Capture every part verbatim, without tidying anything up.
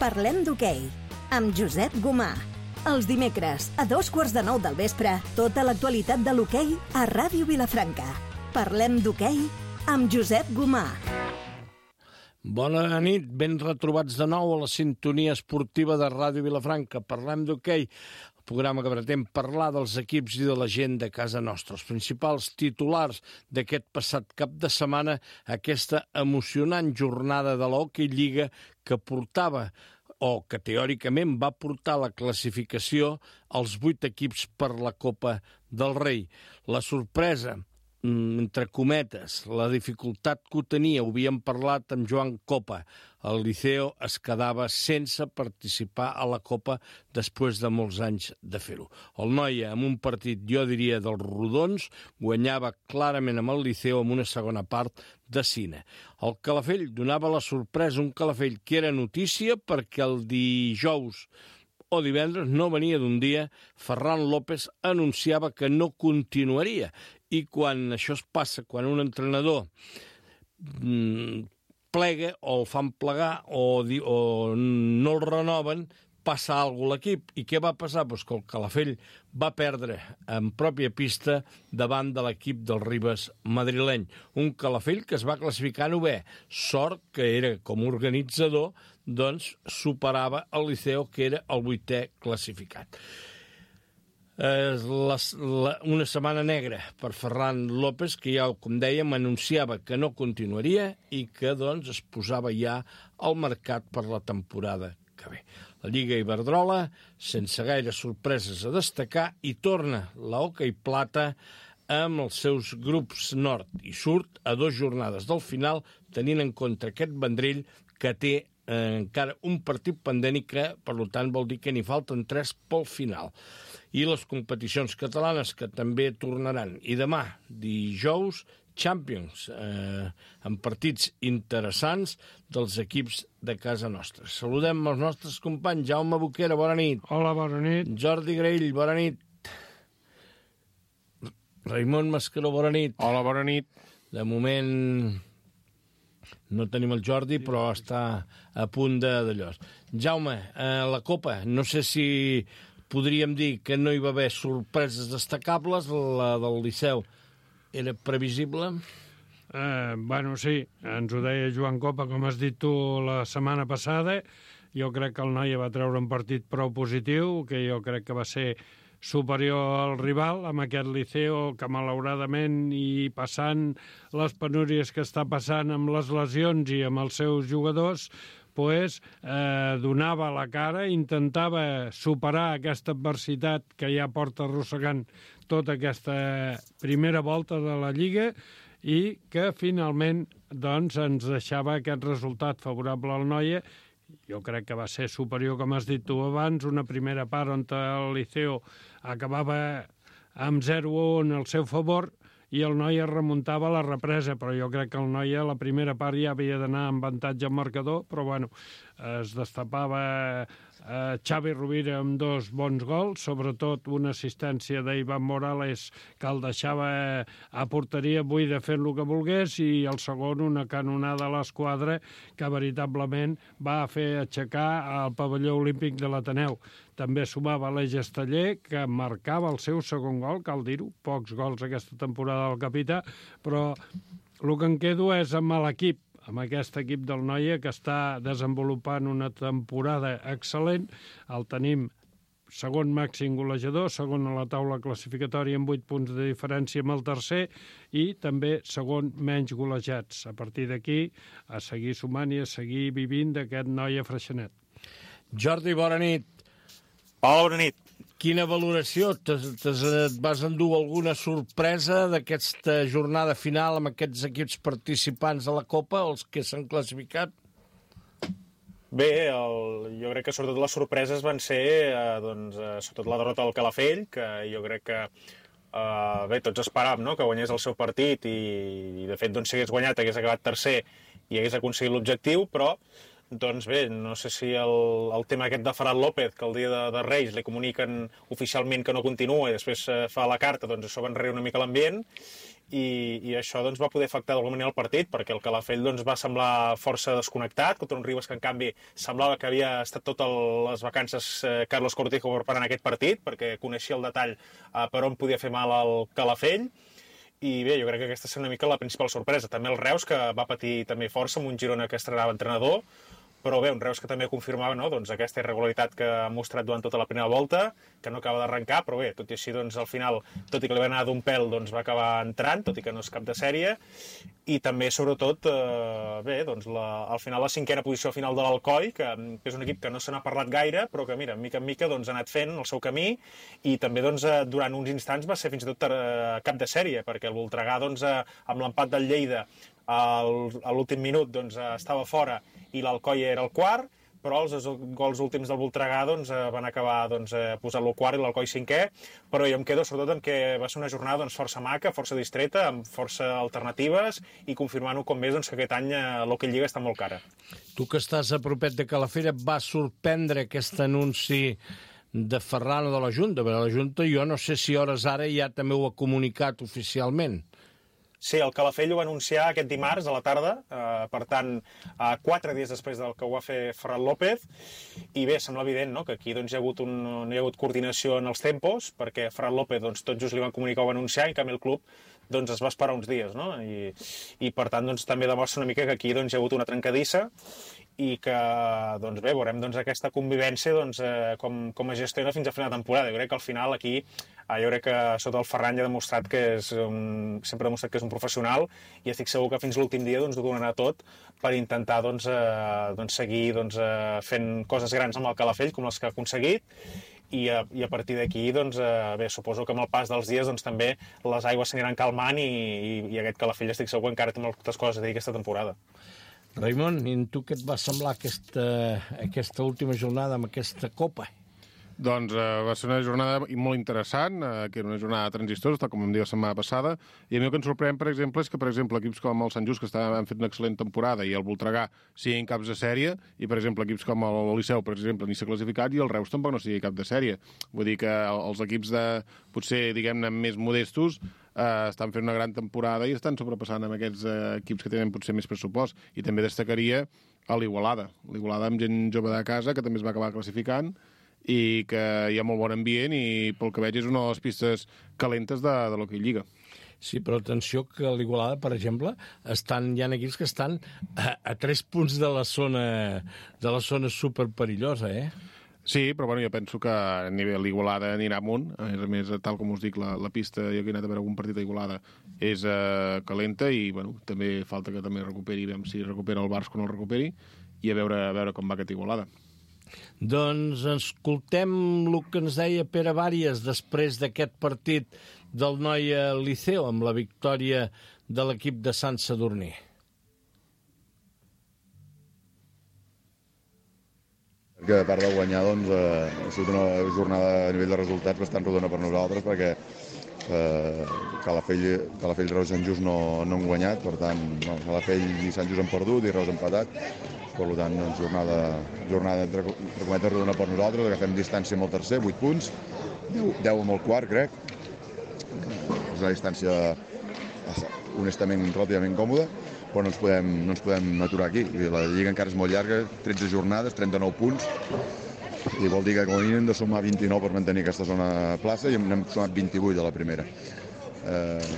Parlem d'hoquei, amb Josep Gomà. Els dimecres, a dos quarts de nou del vespre, tota l'actualitat de l'hoquei a Ràdio Vilafranca. Parlem d'hoquei amb Josep Gomà. Bona nit, ben retrobats de nou a la sintonia esportiva de Ràdio Vilafranca. Parlem d'hoquei, el programa que pretén parlar dels equips i de la gent de casa nostra. Els principals titulars d'aquest passat cap de setmana, aquesta emocionant jornada de l'Hockey Lliga que portava o que teòricament va portar la classificació als vuit equips per la Copa del Rei. La sorpresa, entre cometes, la dificultat que ho tenia, ho havíem parlat amb Joan Copa. El Liceo es quedava sense participar a la Copa després de molts anys de fer-ho. El Noia, amb un partit, jo diria, dels rodons, guanyava clarament amb el Liceo amb una segona part de cine. El Calafell donava la sorpresa, un Calafell que era notícia perquè el dijous o divendres, no venia d'un dia, Ferran López anunciava que no continuaria. I quan això es passa, quan un entrenador mmm, plega o el fan plegar o, di, o no el renoven, passa alguna cosa a l'equip. I què va passar? Pues que el Calafell va perdre en pròpia pista davant de l'equip del Ribes madrileny. Un Calafell que es va classificar novè. Sort que era com a organitzador, doncs superava el Liceo, que era el vuitè classificat. Eh, la, la, una setmana negra per Ferran López, que ja, com dèiem, anunciava que no continuaria i que doncs es posava ja al mercat per la temporada que ve. La Lliga Iberdrola, sense gaire sorpreses a destacar, i torna la Hockey Plata amb els seus grups nord i surt a dues jornades del final, tenint en compte aquest Vendrell que té eh, encara un partit pendent i que, per tant, vol dir que n'hi falten tres pel final. I les competicions catalanes que també tornaran. I demà, dijous, Champions, eh, amb partits interessants dels equips de casa nostra. Saludem els nostres companys. Jaume Boquera, bona nit. Hola, bona nit. Jordi Graell, bona nit. Raimon Mascaró, bona nit. Hola, bona nit. De moment no tenim el Jordi, però està a punt de d'allò. Jaume, eh, la Copa, no sé si podríem dir que no hi va haver sorpreses destacables. La del Liceu era previsible? Eh, bueno, sí, ens ho deia Joan Copa, com has dit tu la setmana passada. Jo crec que el Noia va treure un partit prou positiu, que jo crec que va ser superior al rival, amb aquest Liceo que malauradament i passant les penúries que està passant amb les lesions i amb els seus jugadors, pues, eh, donava la cara, intentava superar aquesta adversitat que ja porta arrossegant tota aquesta primera volta de la Lliga i que finalment doncs, ens deixava aquest resultat favorable al Noia. Jo crec que va ser superior, com has dit tu abans, una primera part on el Liceo acabava amb zero a un al seu favor i el Noia remuntava la represa, però jo crec que el Noia a la primera part ja havia d'anar amb avantatge al marcador, però bueno, es destapava eh, Xavi Rovira amb dos bons gols, sobretot una assistència d'Ivan Morales que el deixava a porteria buida fent el que volgués, i el segon una canonada a l'esquadra que veritablement va fer aixecar el pavelló olímpic de l'Ateneu. També sumava l'Eix Esteller, que marcava el seu segon gol, cal dir-ho, pocs gols aquesta temporada del capità, però el que em quedo és amb l'equip, amb aquest equip del Noia que està desenvolupant una temporada excel·lent. El tenim segon màxim golejador, segon a la taula classificatòria amb vuit punts de diferència amb el tercer i també segon menys golejats. A partir d'aquí, a seguir sumant i a seguir vivint d'aquest Noia Freixenet. Jordi, bona nit. Hola, bona nit. Quina valoració? Et vas endur alguna sorpresa d'aquesta jornada final amb aquests equips participants a la Copa, els que s'han classificat? Bé, el, jo crec que sobretot les sorpreses van ser eh, doncs, eh, sobretot la derrota del Calafell, que jo crec que eh, bé, tots esperàvem, no?, que guanyés el seu partit i, i de fet doncs, si hagués guanyat hagués acabat tercer i hagués aconseguit l'objectiu, però doncs bé, no sé si el, el tema aquest de Ferran López, que el dia de, de Reis li comuniquen oficialment que no continua i després eh, fa la carta, doncs això va enrere una mica l'ambient. i, i això doncs, va poder afectar d'alguna manera el partit, perquè el Calafell doncs, va semblar força desconnectat contra un Ribes que, en canvi, semblava que havia estat totes les vacances eh, Carlos Cortijo preparant aquest partit, perquè coneixia el detall eh, per on podia fer mal el Calafell. I bé, jo crec que aquesta és una mica la principal sorpresa. També el Reus, que va patir també força amb un Girona que estrenava entrenador, però bé, un Reus que també confirmava no? doncs aquesta irregularitat que ha mostrat durant tota la primera volta, que no acaba d'arrencar, però bé, tot i així, doncs, al final, tot i que li va anar d'un pèl, doncs, va acabar entrant, tot i que no és cap de sèrie, i també, sobretot, eh, bé, doncs, la, al final, la cinquena posició final de l'Alcoi, que, que és un equip que no se n'ha parlat gaire, però que, mira, mica en mica, doncs, ha anat fent el seu camí, i també, doncs, eh, durant uns instants va ser fins i tot eh, cap de sèrie, perquè el Voltregà, doncs, eh, amb l'empat del Lleida, al, a l'últim minut, doncs, eh, estava fora, i l'Alcoi era el quart, però els gols últims del Voltregà doncs, van acabar doncs, posant-lo quart i l'Alcoi cinquè, però jo em quedo sobretot amb que va ser una jornada doncs, força maca, força distreta, amb força alternatives i confirmant-ho com més doncs, que aquest any l'Hockey Lliga està molt cara. Tu que estàs a propet de Calafell, et va sorprendre aquest anunci de Ferran o de la Junta? Perquè la Junta jo no sé si hores ara ja també ho ha comunicat oficialment. Sí, el Calafell ho va anunciar aquest dimarts a la tarda, eh, per tant, eh, quatre dies després del que ho va fer Ferran López, i bé, sembla evident no? que aquí doncs, hi ha hagut un, no hi ha hagut coordinació en els tempos, perquè Ferran López doncs, tot just li van comunicar o va anunciar, i en canvi el club doncs, es va esperar uns dies, no? I, i per tant doncs, també demostra una mica que aquí doncs, hi ha hagut una trencadissa, i que, doncs bé, veurem doncs, aquesta convivència doncs, eh, com, com es gestiona fins a final de temporada. Jo crec que al final aquí, eh, jo crec que sota el Ferran ja ha demostrat que és un, sempre ha demostrat que és un professional i estic segur que fins l'últim dia doncs, ho donarà tot per intentar doncs, eh, doncs, seguir doncs, eh, fent coses grans amb el Calafell com les que ha aconseguit i a, i a partir d'aquí, doncs, eh, bé, suposo que amb el pas dels dies doncs, també les aigües s'aniran calmant i, i, i aquest Calafell estic segur que encara té moltes coses a dir aquesta temporada. Raimon, i tu què et va semblar aquesta, aquesta última jornada amb aquesta Copa? Doncs eh, va ser una jornada molt interessant, eh, que era una jornada transistora, tal com em diu la setmana passada, i a mi el que ens sorprèn, per exemple, és que, per exemple, equips com el Sant Just, que estaven, han fet una excel·lent temporada, i el Voltregà siguin caps de sèrie, i, per exemple, equips com el Liceu, per exemple, ni s'ha classificat, i el Reus tampoc no sigui cap de sèrie. Vull dir que els equips de, potser, diguem-ne, més modestos, eh, estan fent una gran temporada i estan sobrepassant amb aquests eh, equips que tenen potser més pressupost. I també destacaria a l'Igualada. L'Igualada amb gent jove de casa, que també es va acabar classificant, i que hi ha molt bon ambient i pel que veig és una de les pistes calentes de, de l'Hockey Lliga. Sí, però atenció que a l'Igualada, per exemple, estan, hi ha equips que estan a, a tres punts de la zona, de la zona superperillosa, eh? Sí, però bueno, jo penso que a nivell l'Igualada anirà amunt. A més a més, tal com us dic, la, la pista, jo que he anat a veure algun partit d'Igualada, és eh, calenta i bueno, també falta que també recuperi, veiem si recupera el Barça quan el recuperi, i a veure, a veure com va aquest Igualada. Doncs escoltem el que ens deia Pere Bàries després d'aquest partit del Noia Liceo amb la victòria de l'equip de Sant Sadurní. Que a part de guanyar, doncs, eh, ha sigut una jornada a nivell de resultats bastant rodona per nosaltres, perquè eh, Calafell, Calafell, Reus i Sant Just no, no han guanyat, per tant, no, Calafell i Sant Just han perdut i Reus han empatat. Per tant, doncs, jornada, jornada entre, entre cometes rodona per nosaltres, agafem distància amb el tercer, vuit punts, deu amb el quart, crec. És una distància, honestament, relativament còmoda, però no ens podem, no ens podem aturar aquí. La Lliga encara és molt llarga, tretze jornades, trenta-nou punts, i vol dir que com a mínim hem de sumar vint-i-nou per mantenir aquesta zona plaça, i n'hem sumat vint-i-vuit a la primera. Eh,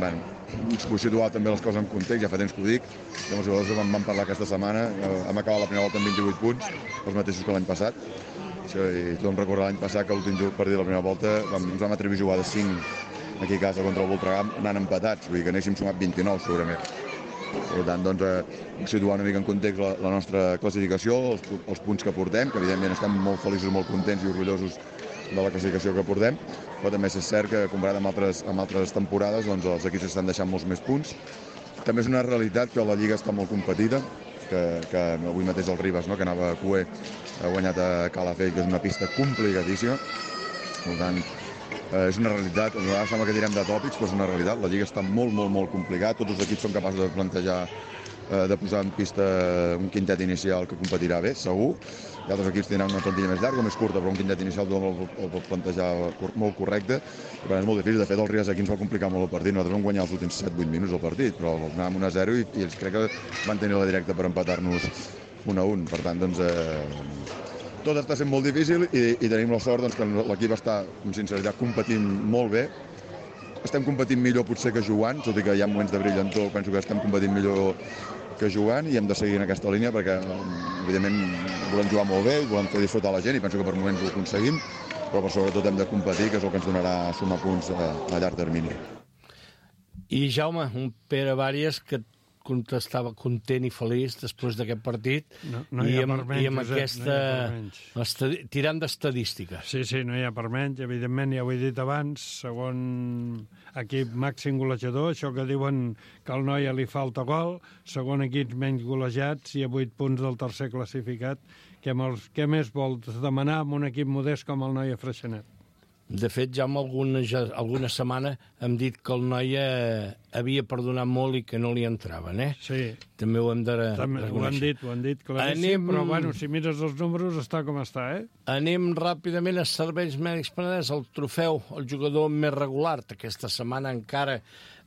bueno, us vull situar també les coses en context, ja fa temps que ho dic, que els jugadors vam, vam parlar aquesta setmana, hem acabat la primera volta amb vint-i-vuit punts, els mateixos que l'any passat, i tothom recorda l'any passat que l'últim partit de la primera volta vam, ens vam atrevir a jugar de cinc aquí a casa contra el Voltregà anant empatats, vull dir que anéssim sumat vint-i-nou segurament. Per tant, doncs, eh, situar una mica en context la, la nostra classificació, els, els punts que portem, que evidentment estem molt feliços, molt contents i orgullosos de la classificació que portem, però també és cert que comparat amb altres, amb altres temporades doncs, els equips estan deixant molts més punts. També és una realitat que la Lliga està molt competida, que, que avui mateix el Ribes, no, que anava a Cué, ha guanyat a Calafell, que és una pista complicadíssima. Per tant, eh, és una realitat, a vegades sembla que direm de tòpics, però és una realitat. La Lliga està molt, molt, molt complicada, tots els equips són capaços de plantejar eh, de posar en pista un quintet inicial que competirà bé, segur. I altres equips tindran una plantilla més llarga o més curta, però un quintet inicial tothom el pot plantejar molt correcte. I per tant és molt difícil. De fet, el Ribes aquí ens va complicar molt el partit. Nosaltres vam guanyar els últims set vuit minuts del partit, però anàvem un a zero i, i crec que van tenir la directa per empatar-nos un a un. Per tant, doncs, eh, tot està sent molt difícil i, i tenim la sort doncs, que l'equip està, amb sinceritat, competint molt bé. Estem competint millor potser que jugant, tot i que hi ha moments de brillantor, penso que estem competint millor que jugant i hem de seguir en aquesta línia perquè, evidentment, volem jugar molt bé i volem fer disfrutar la gent i penso que per moments ho aconseguim, però per sobretot hem de competir, que és el que ens donarà sumar punts a, a llarg termini. I Jaume, un Pere Vàries que contestava content i feliç després d'aquest partit no, no hi ha i amb, per menys, i amb Josep, aquesta... no estadi... tirant d'estadístiques. Sí, sí, no hi ha per menys. Evidentment, ja ho he dit abans, segon equip màxim golejador, això que diuen que al Noia li falta gol, segon equip menys golejats i a vuit punts del tercer classificat. Què, molts, què més vols demanar amb un equip modest com el Noia Freixenet? De fet, ja en alguna, ja, alguna setmana hem dit que el Noia havia perdonat molt i que no li entraven, eh? Sí. També ho hem de També, reconèixer. ho han dit, ho han dit claríssim, Anem... però bueno, si mires els números està com està, eh? Anem ràpidament a Serveis Mèdics Penedès, el trofeu, el jugador més regular d'aquesta setmana encara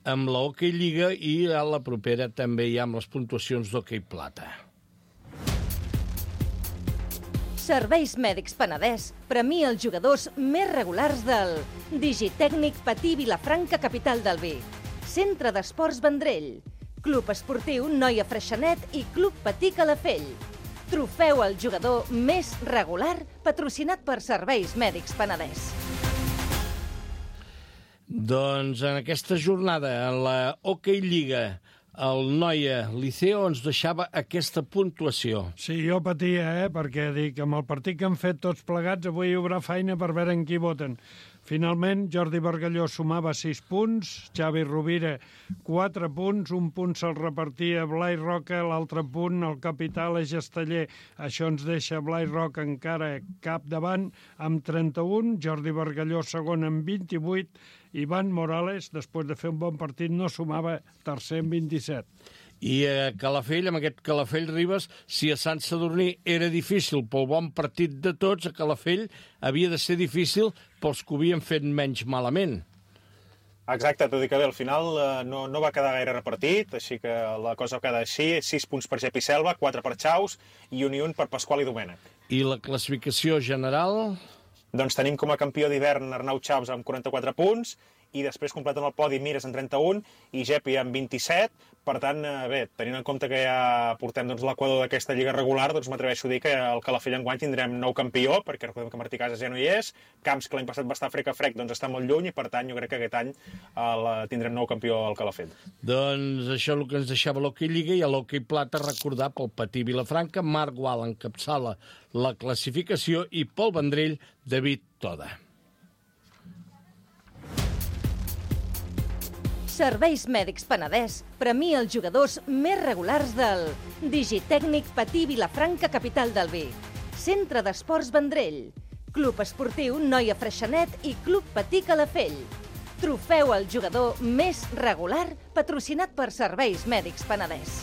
amb la Hockey Lliga i a la propera també hi ha amb les puntuacions d'Hockey Plata. Serveis Mèdics Penedès premia els jugadors més regulars del Digitècnic Patí Vilafranca, capital del vi, Centre d'Esports Vendrell, Club Esportiu Noia Freixenet i Club Patí Calafell. Trofeu al jugador més regular patrocinat per Serveis Mèdics Penedès. Doncs en aquesta jornada, en la Hockey Lliga, el Noia Liceo ens deixava aquesta puntuació. Sí, jo patia, eh, perquè dic, amb el partit que han fet tots plegats, avui hi haurà feina per veure en qui voten. Finalment, Jordi Bargalló sumava sis punts, Xavi Rovira quatre punts, un punt se'l repartia Blai Roca, l'altre punt el capital és Esteller. Això ens deixa Blai Roca encara cap davant amb trenta-un, Jordi Bargalló segon amb vint-i-vuit, Ivan Morales, després de fer un bon partit, no sumava tercer amb vint-i-set. I a Calafell, amb aquest Calafell Ribes, si a Sant Sadurní era difícil pel bon partit de tots, a Calafell havia de ser difícil pels que ho havien fet menys malament. Exacte, tot i que bé, al final eh, no, no va quedar gaire repartit, així que la cosa va quedar així, sis punts per Gep i Selva, quatre per Chaus i un i un per Pasqual i Domènec. I la classificació general? Doncs tenim com a campió d'hivern Arnau Chaus amb quaranta-quatre punts, i després completen el podi Mires amb trenta-un i Gepi amb vint-i-set. Per tant, bé, tenint en compte que ja portem doncs, l'equador d'aquesta lliga regular, doncs m'atreveixo a dir que al Calafell enguany tindrem nou campió, perquè recordem que Martí Casas ja no hi és, Camps, que l'any passat va estar frec a frec, doncs està molt lluny, i per tant jo crec que aquest any el, tindrem nou campió al Calafell. Doncs això és el que ens deixava l'Hockey Lliga, i a l'Hockey Plata recordar pel Patí Vilafranca, Marc Gual encapçala la classificació i pel Vendrell, David Toda. Serveis Mèdics Penedès premia els jugadors més regulars del Digitècnic Patí Vilafranca, capital del vi, Centre d'Esports Vendrell, Club Esportiu Noia Freixenet i Club Patí Calafell. Trofeu al jugador més regular patrocinat per Serveis Mèdics Penedès.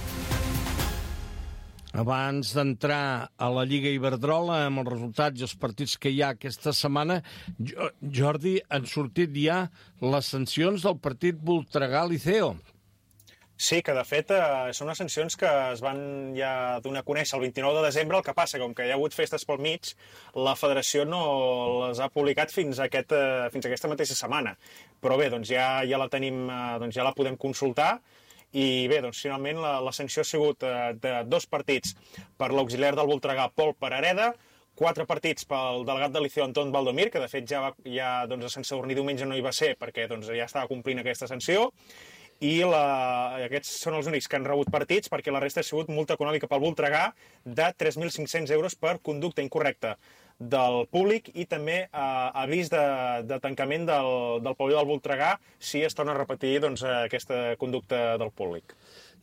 Abans d'entrar a la Lliga Iberdrola amb els resultats i els partits que hi ha aquesta setmana, Jordi, han sortit ja les sancions del partit Voltregà-Liceo. Sí, que de fet eh, són unes sancions que es van ja donar a conèixer el vint-i-nou de desembre, el que passa, com que hi ha hagut festes pel mig, la federació no les ha publicat fins, a aquest, eh, fins a aquesta mateixa setmana. Però bé, doncs ja, ja la tenim, eh, doncs ja la podem consultar. I bé, doncs finalment la, la sanció ha sigut eh, de dos partits per l'auxiliar del Voltregà, Pol Parareda, quatre partits pel delegat de Liceo, Anton Valdomir, que de fet ja, va, ja doncs, a Sant Sadurní diumenge no hi va ser perquè doncs, ja estava complint aquesta sanció, i la, aquests són els únics que han rebut partits, perquè la resta ha sigut multa econòmica pel Voltregà de tres mil cinc-cents euros per conducta incorrecta del públic i també eh, avís de, de tancament del, del pavelló del Voltregà si es torna a repetir doncs, aquesta conducta del públic.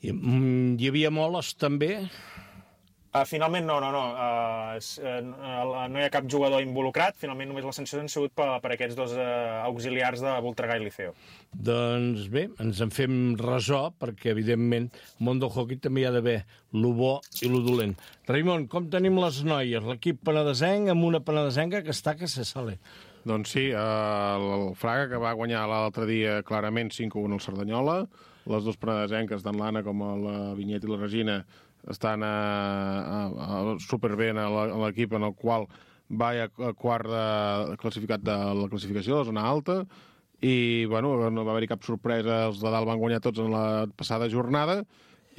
Hi, hi havia moles també? Uh, finalment no, no, no. Uh, uh, no hi ha cap jugador involucrat. Finalment només les sancions han sigut per, per aquests dos uh, auxiliars de Voltregà i Liceo. Doncs bé, ens en fem ressò, perquè evidentment al món del hoquei també hi ha d'haver lo bo i lo dolent. Raimon, com tenim les noies? L'equip penedesenc amb una penedesenca que està que se sale. Doncs sí, el Fraga, que va guanyar l'altre dia clarament cinc a u al Cerdanyola. Les dues penedesenques, tant l'Anna com la Vinyet i la Regina, estan a, a, a superbé a l'equip en el qual va a quart de, classificat de la classificació, de la zona alta, i bueno, no va haver-hi cap sorpresa, els de dalt van guanyar tots en la passada jornada,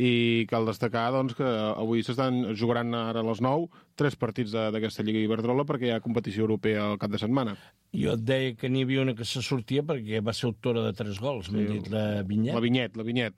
i cal destacar doncs, que avui s'estan jugaran ara a les nou tres partits d'aquesta Lliga Iberdrola perquè hi ha competició europea al cap de setmana. Jo et deia que n'hi havia una que se sortia perquè va ser autora de tres gols, m'ha dit la Vinyet. La Vinyet, la Vinyet.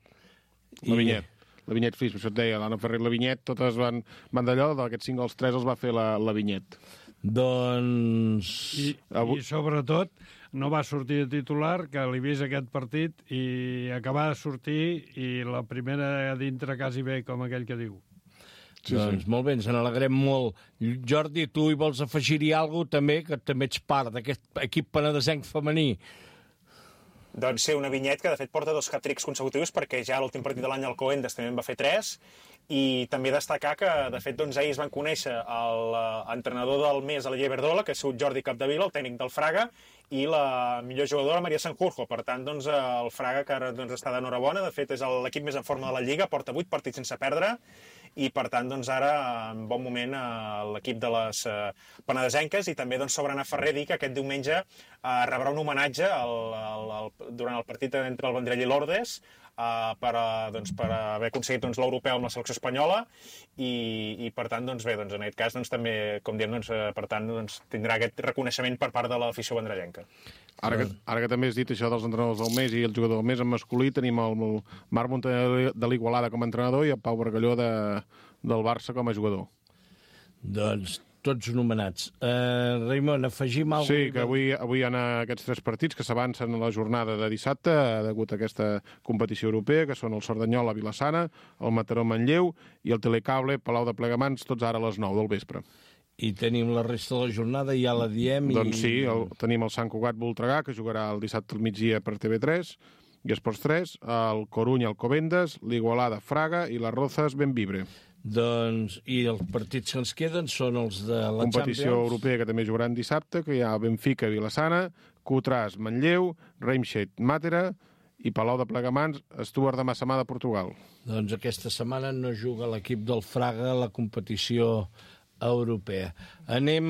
La Vinyet. La Vinyet Fris, això et deia, l'Anna Ferrer i la Vinyet, totes van, van d'allò, d'aquests cinc gols, tres els va fer la, la Vinyet. Doncs... I, Avui... I sobretot no va sortir de titular, que l'he vist aquest partit, i acabar de sortir i la primera a dintre quasi bé, com aquell que diu. Sí, doncs sí. Molt bé, ens n'alegrem molt. Jordi, tu hi vols afegir-hi alguna cosa també, que també ets part d'aquest equip penedesenc femení? Doncs sí, una Vinyet que de fet porta dos hat-tricks consecutius perquè ja l'últim partit de l'any al Coendes també en va fer tres, i també destacar que de fet doncs, ahir es van conèixer l'entrenador del mes a la Lliga Iberdrola, que ha sigut Jordi Capdevila, el tècnic del Fraga, i la millor jugadora Maria Sanjurjo. Per tant, doncs, el Fraga, que ara doncs, està d'enhorabona, de fet és l'equip més en forma de la Lliga, porta vuit partits sense perdre, i per tant doncs, ara en bon moment l'equip de les penedesenques, i també doncs, sobre Anna Ferrer dir que aquest diumenge eh, rebrà un homenatge al, al, al, durant el partit entre el Vendrell i l'Ordes, Uh, per, uh, doncs, per haver aconseguit doncs, l'europeu amb la selecció espanyola, i, i per tant, doncs, bé, doncs, en aquest cas doncs, també, com diem, doncs, uh, per tant, doncs, tindrà aquest reconeixement per part de l'afició vendrellenca. Ara que, ara que també has dit això dels entrenadors del mes i el jugador del mes en masculí, tenim el, el Marc Montaner de l'Igualada com a entrenador i el Pau Bargalló de, del Barça com a jugador. Doncs tots nomenats. Uh, Raimon, afegim alguna cosa? Sí, que avui, avui hi ha aquests tres partits que s'avancen a la jornada de dissabte degut a aquesta competició europea, que són el Cerdanyola Vilassana, el Mataró Manlleu i el Telecable Palau de Plegamans, tots ara a les nou del vespre. I tenim la resta de la jornada, ja la diem... I... Doncs sí, el, tenim el Sant Cugat Voltregà, que jugarà el dissabte al migdia per T V tres i Esports tres, el Corunya Alcobendas, l'Igualada Fraga i les Rozas Benvibre. Doncs, i els partits que ens queden són els de la competició Champions. Europea, que també jugaran dissabte, que hi ha Benfica Vilassana, Cotràs Manlleu, Reimshed Màtera i Palau de Plegamans, Stuart de Massamà de Portugal. Doncs aquesta setmana no juga l'equip del Fraga a la competició europea. Anem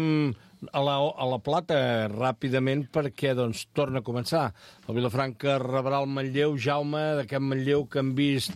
a la, a la Plata ràpidament perquè doncs, torna a començar. El Vilafranca rebrà el Manlleu, Jaume, d'aquest Manlleu que han vist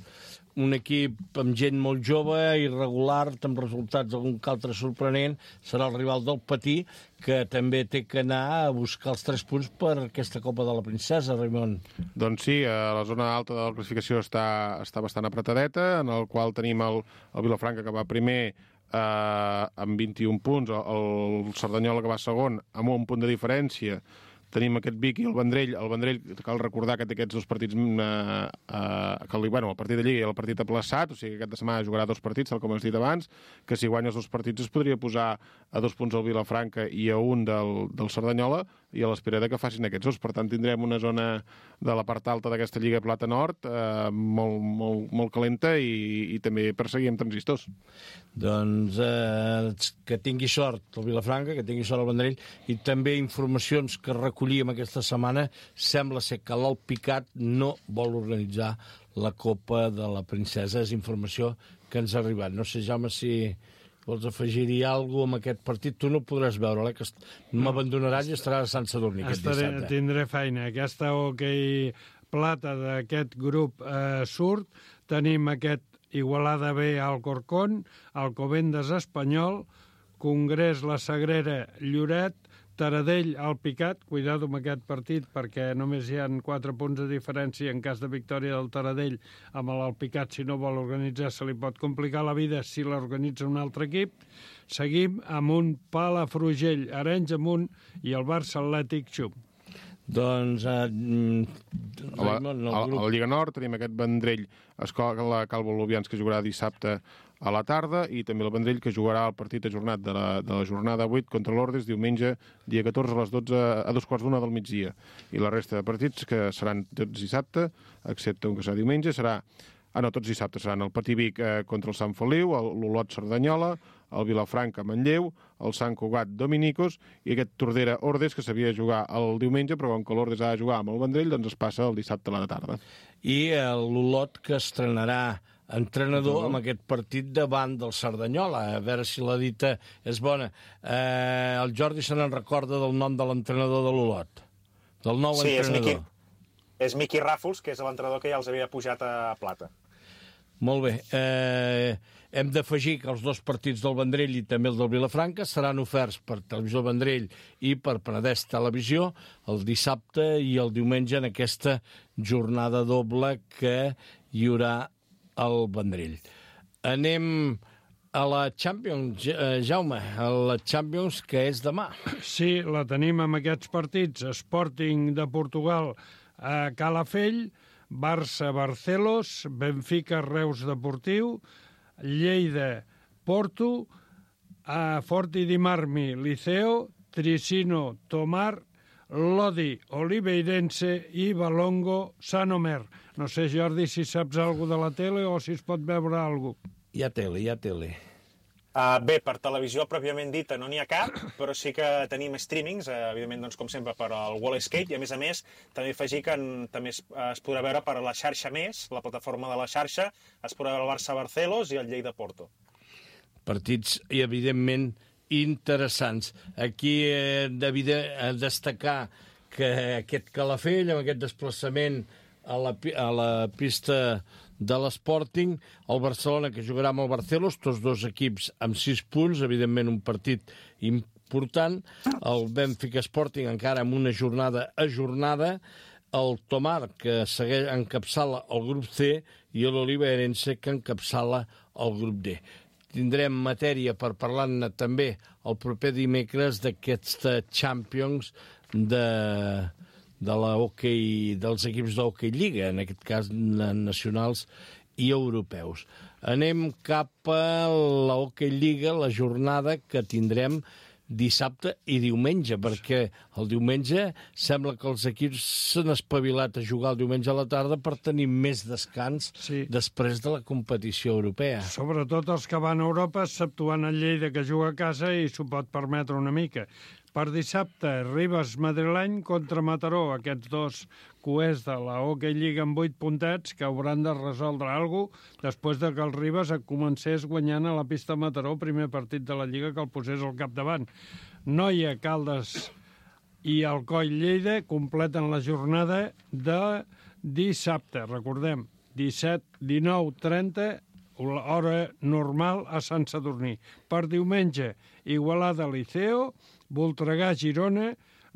un equip amb gent molt jove, irregular, amb resultats algun que altre sorprenent, serà el rival del Patí, que també té que anar a buscar els tres punts per aquesta Copa de la Princesa, Raimon. Doncs sí, la zona alta de la classificació està, està bastant apretadeta, en el qual tenim el, el Vilafranca, que va primer eh, amb vint-i-un punts, el Cerdanyola, que va segon, amb un punt de diferència. Tenim aquest Vic i el Vendrell. El Vendrell, cal recordar que té aquests dos partits, eh, eh, que, bueno, el partit de Lliga i el partit aplaçat, o sigui que aquesta setmana jugarà dos partits, tal com has dit abans, que si guanya els dos partits es podria posar a dos punts al Vilafranca i a un del, del Cerdanyola, i a l'espera de que facin aquests dos. Per tant, tindrem una zona de la part alta d'aquesta Lliga Plata Nord eh, molt, molt, molt calenta i, i també perseguir amb transistors. Doncs eh, que tingui sort el Vilafranca, que tingui sort el Vendrell, i també informacions que recollíem aquesta setmana, sembla ser que l'Alpicat no vol organitzar la Copa de la Princesa. És informació que ens ha arribat. No sé, Jaume, si vols afegir-hi alguna cosa amb aquest partit. Tu no podràs veure, eh, que m'abandonaràs i estaràs a Sant Sadurní aquest dissabte. Tindré feina. Aquesta hoquei plata d'aquest grup eh, surt. Tenim aquest Igualada B al Corcón, Alcobendas Espanyol, Congrés La Sagrera Lloret, Taradell al Picat, cuidado amb aquest partit perquè només hi ha quatre punts de diferència en cas de victòria del Taradell amb l'Alpicat. Si no vol organitzar se li pot complicar la vida si l'organitza un altre equip. Seguim amb un Palafrugell, Arenys Amunt i el Barça Atlètic Xum. Doncs eh, a, la, a, a la Lliga Nord tenim aquest Vendrell Escola Calvo Lubians, que jugarà dissabte a la tarda, i també el Vendrell, que jugarà el partit ajornat de la, de la jornada vuit contra l'Ordes diumenge, dia catorze a les dotze, a dos quarts d'una del migdia. I la resta de partits, que seran tots dissabte, excepte un que serà diumenge, serà... Ah, no, tots dissabtes seran el Patí Vic eh, contra el Sant Feliu, l'Olot Cerdanyola, el Vilafranca Manlleu, el Sant Cugat Dominicos i aquest Tordera-Ordes, que s'havia de jugar el diumenge, però com que l'Ordes ha de jugar amb el Vendrell, doncs es passa el dissabte a la tarda. I l'Olot, que estrenarà entrenador amb aquest partit davant del Cerdanyola. A veure si la dita és bona. Eh, el Jordi se n'en recorda del nom de l'entrenador de l'Olot, del nou sí, entrenador. És Miqui, és Miqui Ràfols, que és l'entrenador que ja els havia pujat a plata. Molt bé. Eh, hem d'afegir que els dos partits del Vendrell i també el del Vilafranca seran oferts per Televisió Vendrell i per Penedès Televisió el dissabte i el diumenge en aquesta jornada doble que hi haurà al Vendrell. Anem a la Champions, eh, Jaume, a la Champions, que és demà. Sí, la tenim amb aquests partits. Sporting de Portugal a Calafell, Barça-Barcelos, Benfica-Reus Deportiu, Lleida-Porto, a Forti di Marmi, Liceo, Tricino-Tomar, Lodi-Oliveirense i Valongo-Sanomer. No sé, Jordi, si saps alguna de la tele o si es pot veure alguna cosa. Hi ha tele, hi ha tele. Uh, bé, per televisió pròpiament dita no n'hi ha cap, però sí que tenim streamings, uh, evidentment, doncs, com sempre, per al Wallscape, i a més a més també afegir que en, també es, uh, es podrà veure per la xarxa Més, la plataforma de la xarxa, es podrà veure el Barça-Barcelos i el Lleida-Porto. Partits, i evidentment, interessants. Aquí he de destacar que aquest Calafell, amb aquest desplaçament a la, a la pista de l'Sporting, el Barcelona, que jugarà amb el Barcelos, tots dos equips amb sis punts, evidentment un partit important, el Benfica Sporting encara amb una jornada ajornada, el Tomar, que segueix encapçala el grup C, i l'Oliveirense, que encapçala el grup D. Tindrem matèria per parlar-ne també el proper dimecres d'aquesta Champions de... de la hoquei, dels equips d'hoquei Lliga, en aquest cas nacionals i europeus. Anem cap a la Hoquei Lliga, la jornada que tindrem dissabte i diumenge, perquè el diumenge sembla que els equips s'han espavilat a jugar el diumenge a la tarda per tenir més descans sí. després de la competició europea. Sobretot els que van a Europa, exceptuant el Lleida, que juga a casa i s'ho pot permetre una mica. Per dissabte, Ribes Madrileny contra Mataró, aquests dos coers de la Hoquei Lliga amb vuit puntets que hauran de resoldre alguna cosa després de que el Ribes comencés guanyant a la pista Mataró, primer partit de la Lliga que el posés al capdavant. Noia, Caldes i Alcoi Lleida completen la jornada de dissabte, recordem, disset, dinou, trenta, hora normal a Sant Sadurní. Per diumenge, Igualada Liceo, Voltregà Girona,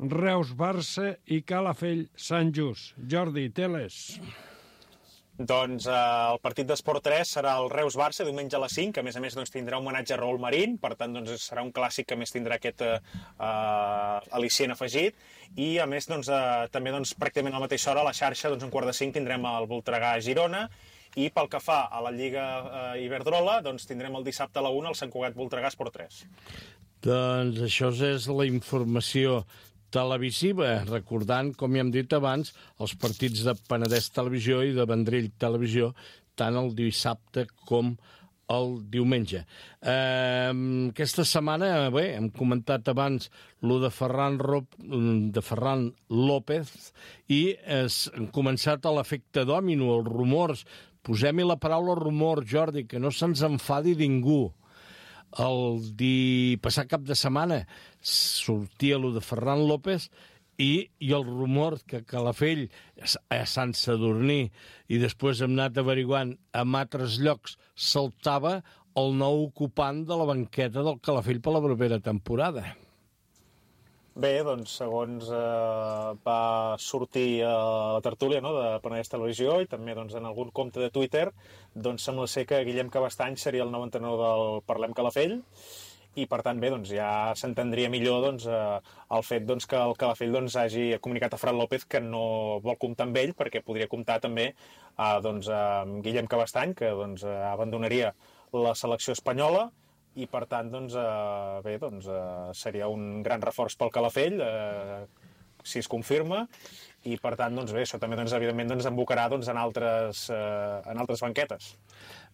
Reus Barça i Calafell Sant Just. Jordi, teles. Doncs eh, el partit d'Esport tres serà el Reus Barça, diumenge a les cinc, que a més a més doncs, tindrà un homenatge a Raúl Marín, per tant doncs, serà un clàssic que a més tindrà aquest eh, al·licient afegit, i a més doncs, eh, també doncs, pràcticament a la mateixa hora a la xarxa, doncs, un quart de cinc tindrem el Voltregà Girona, i pel que fa a la Lliga eh, Iberdrola, doncs tindrem el dissabte a la una el Sant Cugat Voltregà Esport tres. Doncs això és la informació televisiva, recordant, com ja hem dit abans, els partits de Penedès Televisió i de Vendrell Televisió, tant el dissabte com el diumenge. Eh, aquesta setmana, bé, hem comentat abans lo de Ferran, Rop, de Ferran López i es, han començat a l'efecte dòmino, els rumors. Posem-hi la paraula rumor, Jordi, que no se'ns enfadi ningú. El di... passat cap de setmana sortia lo de Ferran López i, i el rumor que Calafell a Sant Sadurní i després hem anat averiguant en altres llocs saltava el nou ocupant de la banqueta del Calafell per la propera temporada. Bé, doncs, segons eh, va sortir a la tertúlia, no?, de Penedès Televisió i també doncs, en algun compte de Twitter, doncs sembla ser que Guillem Cabestany seria el nou entrenador del Parlem Calafell i, per tant, bé, doncs, ja s'entendria millor doncs, eh, el fet doncs, que el Calafell doncs, hagi comunicat a Fran López que no vol comptar amb ell perquè podria comptar també eh, doncs, amb Guillem Cabestany, que doncs, abandonaria la selecció espanyola, i per tant, doncs, eh, bé, doncs, eh, seria un gran reforç pel Calafell, eh, si es confirma, i per tant, doncs bé, això també, doncs, evidentment, doncs, embocarà doncs, en, altres, eh, en altres banquetes.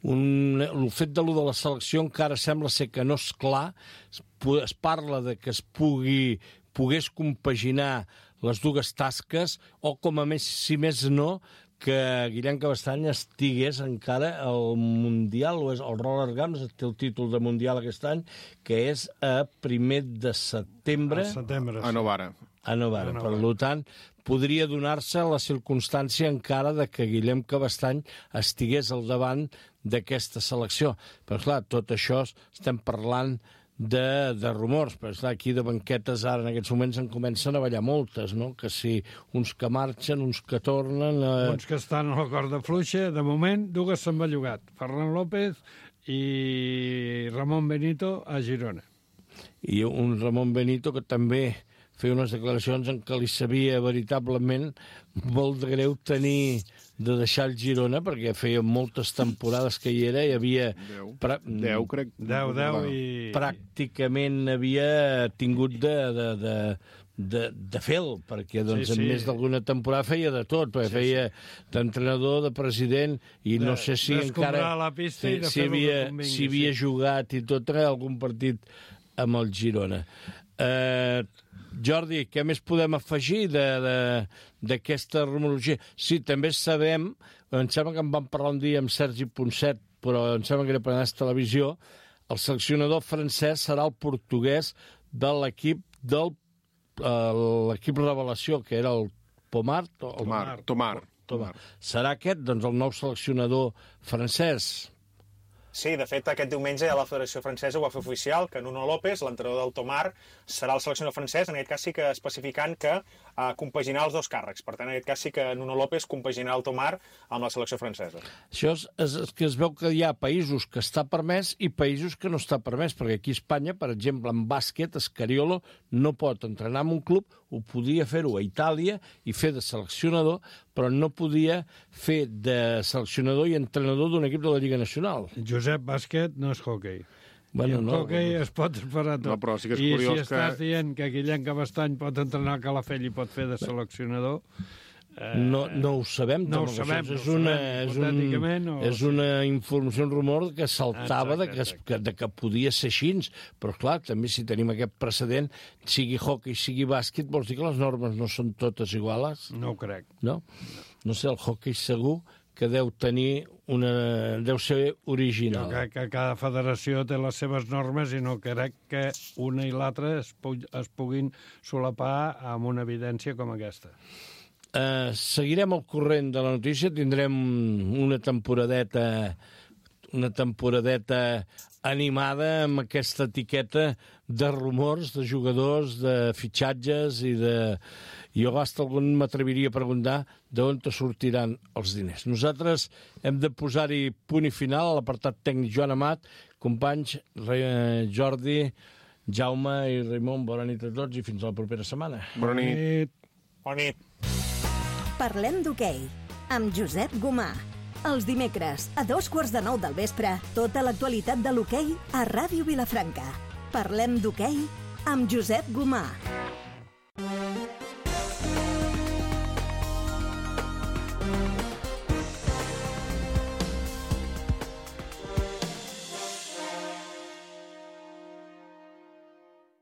Un, el fet de lo de la selecció encara sembla ser que no és clar, es, es parla de que es pugui, pogués compaginar les dues tasques, o com a més, si més no, que Guillem Cabestany estigués encara al Mundial, o és el Roller Games, té el títol de Mundial aquest any, que és a primer de setembre. A setembre, sí. A Novara. A Novara. Per tant, podria donar-se la circumstància encara de que Guillem Cabestany estigués al davant d'aquesta selecció. Però, clar, tot això estem parlant de, de rumors, però esclar, aquí de banquetes ara en aquests moments en comencen a ballar moltes, no? Que si uns que marxen, uns que tornen... Eh... Uns que estan a la corda fluixa, de moment, dues s'han bellugat, Ferran López i Ramon Benito a Girona. I un Ramon Benito que també feia unes declaracions en què li sabia veritablement molt de greu tenir de deixar el Girona, perquè feia moltes temporades que hi era i havia... Deu, pra... deu crec. Deu, deu i... Pràcticament havia tingut de, de, de, de, de fel, perquè doncs, sí, sí. en més d'alguna temporada feia de tot, perquè sí, feia sí. d'entrenador, de president, i de, no sé si encara... la pista i de si havia, convingui, si havia sí. jugat i tot, algun partit amb el Girona. Eh... Jordi, què més podem afegir d'aquesta rumorologia? Sí, també sabem, em sembla que en vam parlar un dia amb Sergi Ponset, però em sembla que era per anar a televisió, el seleccionador francès serà el portuguès de l'equip del uh, l'equip revelació, que era el Pomar. El... Tomar, Tomar. Tomar. Serà aquest, doncs, el nou seleccionador francès? Sí, de fet, aquest diumenge ja la Federació Francesa ho va fer oficial, que Nuno López, l'entrenador del Tomar, serà el seleccionador francès, en aquest cas sí que especificant que uh, compaginarà els dos càrrecs. Per tant, en aquest cas sí que Nuno López compaginarà el Tomar amb la selecció francesa. Això és, és, és que es veu que hi ha països que està permès i països que no està permès, perquè aquí a Espanya, per exemple, en bàsquet, Escariolo no pot entrenar en un club, ho podia fer-ho a Itàlia i fer de seleccionador, però no podia fer de seleccionador i entrenador d'un equip de la Lliga Nacional. Josep, bàsquet no és hoquei. Bueno, I el no, hoquei no. es pot esperar tot. No, però sí que és I curiós si estàs que... dient que Guillem Cabestany pot entrenar a Calafell i pot fer de seleccionador... Eh, no, no ho sabem. No ho sabem, és no ho una, sabem. és, un, O... és una informació, un rumor que saltava exacte, de, que, que, de que podia ser així, però clar, també si tenim aquest precedent, sigui hockey, sigui bàsquet, vols dir que les normes no són totes iguales? No ho crec. No? No sé, el hockey segur que deu tenir una... deu ser original. Jo crec que cada federació té les seves normes i no crec que una i l'altra es, pu es puguin solapar amb una evidència com aquesta. Uh, seguirem al corrent de la notícia, tindrem una temporadeta una temporadeta animada amb aquesta etiqueta de rumors, de jugadors, de fitxatges i de... Jo hasta algun m'atreviria a preguntar d'on te sortiran els diners. Nosaltres hem de posar-hi punt i final a l'apartat tècnic Joan Amat, companys Jordi, Jaume i Raimon, bona nit a tots i fins a la propera setmana. Bona nit. Bona nit. Parlem d'hoquei, amb Josep Gomà. Els dimecres, a dos quarts de nou del vespre, tota l'actualitat de l'hoquei a Ràdio Vilafranca. Parlem d'hoquei amb Josep Gomà.